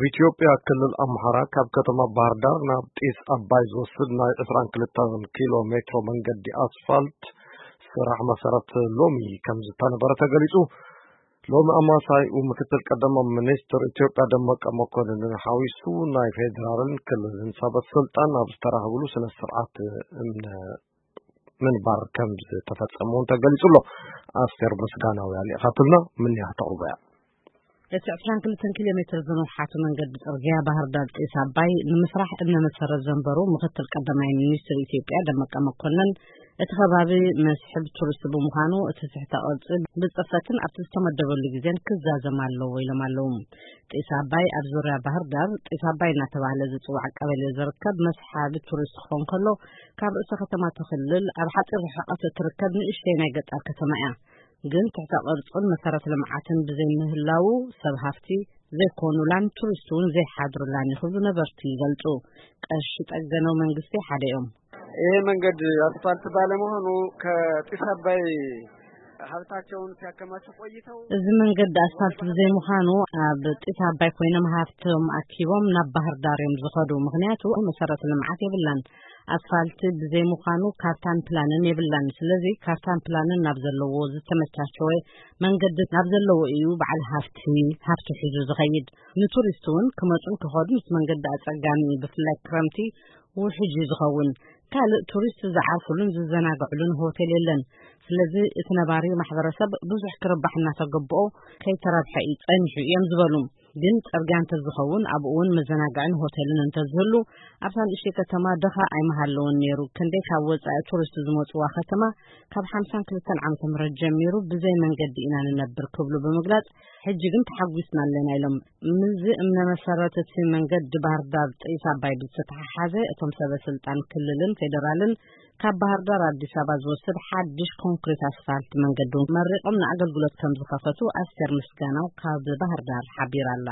ኢትዮጵያ ክልል ኣምሓራ ካብ ከተማ ባህር ዳር ናብ ጢስ ኣባይ ዝወስድ ናይ ዕስራን ክልተን ኪሎ ሜትሮ መንገዲ ኣስፋልት ስራሕ መሰረት ሎሚ ከም ዝተነበረ ተገሊጹ። ሎሚ ኣማሳይኡ ምክትል ቀዳማይ ሚኒስትር ኢትዮጵያ ደመቀ መኮንንን ሓዊሱ ናይ ፌዴራልን ክልልን ሰበ ስልጣን ኣብ ዝተራኸብሉ ስነ ስርዓት እምነ ምንባር ከም ዝተፈጸመ እውን ተገሊጹ ኣሎ። ኣስቴር ምስጋናው ያሊእኻትልና ምንያ ተቕርቦ እያ። እቲ ዕስራን ክልተን ኪሎ ሜትር ዝነውሓቱ መንገዲ ጽርግያ ባህር ዳር ጢስ ኣባይ ንምስራሕ እምነ መሰረት ዘንበሩ ምክትል ቀዳማይ ሚኒስትር ኢትዮጵያ ደመቀ መኮንን፣ እቲ ከባቢ መስሕብ ቱሪስት ብምዃኑ እቲ ትሕተ ቅርጺ ብጽፈትን ኣብቲ ዝተመደበሉ ግዜን ክዛዘም ኣለዎ ኢሎም ኣለዉ። ጢስ ኣባይ ኣብ ዙርያ ባህር ዳር ጢስ ኣባይ እናተባህለ ዝጽዋዕ ቀበሌ ዝርከብ መስሓቢ ቱሪስት ክኾን ከሎ፣ ካብ ርእሰ ከተማ እቲ ክልል ኣብ ሓጺር ርሕቀት እትርከብ ንእሽተይ ናይ ገጠር ከተማ እያ። ግን ትሕተ ቅርጹን መሰረተ ልምዓትን ብዘይምህላዉ ሰብ ሃፍቲ ዘይኮኑላን ቱሪስት እውን ዘይሓድሩላን እዩ ክብሉ ነበርቲ ይገልጹ። ቀሺ ጠገነው መንግስቲ ሓደ እዮም። ይሄ መንገድ አስፋልት ባለመሆኑ ከጢስ አባይ ሀብታቸውን ሲያከማቹ ቆይተው እዚ መንገዲ ኣስፋልት ብዘይምዃኑ ኣብ ጢስ ኣባይ ኮይኖም ሃፍቶም ኣኪቦም ናብ ባህር ዳር እዮም ዝኸዱ። ምኽንያቱ መሰረተ ልምዓት የብላን። ኣስፋልት ብዘይምዃኑ ካርታን ፕላንን የብላን። ስለዚ ካርታን ፕላንን ናብ ዘለዎ ዝተመቻቸወ መንገዲ ናብ ዘለዎ እዩ በዓል ሃፍቲ ሃፍቲ ሒዙ ዝኸይድ። ንቱሪስት እውን ክመጹን ክኸዱን እቲ መንገዲ ኣጸጋሚ እዩ። ብፍላይ ክረምቲ ውሕጅ እዩ ዝኸውን። ካልእ ቱሪስት ዝዓርፉሉን ዝዘናግዕሉን ሆቴል የለን። ስለዚ እቲ ነባሪ ማሕበረሰብ ብዙሕ ክርባሕ እናተገብኦ ከይተረብሐ እዩ ጸኒሑ እዮም ዝበሉ። ግን ጽርግያ እንተዝኸውን ኣብኡ እውን መዘናግዕን ሆቴልን እንተዝህሉ ኣብታ ንእሽተይ ከተማ ድኻ ኣይምሃለወን ነይሩ። ክንደይ ካብ ወጻኢ ቱሪስት ዝመጽዋ ከተማ ካብ ሓምሳን ክልተን ዓመተ ምህረት ጀሚሩ ብዘይ መንገዲ ኢና ንነብር ክብሉ ብምግላጽ፣ ሕጂ ግን ተሓጒስና ኣለና ኢሎም። ምስዚ እምነ መሰረት እቲ መንገዲ ባህር ዳር ጢስ ኣባይ ብዝተተሓሓዘ እቶም ሰበ ስልጣን ክልልን ፌደራልን ካብ ባህር ዳር ኣዲስ ኣበባ ዝወስድ ሓድሽ ኮንክሪት ኣስፋልት መንገዲ እውን መሪቖም ንኣገልግሎት ከም ዝኸፈቱ ኣስቴር ምስጋናው ካብ ባህር ዳር ሓቢራ ኣላ።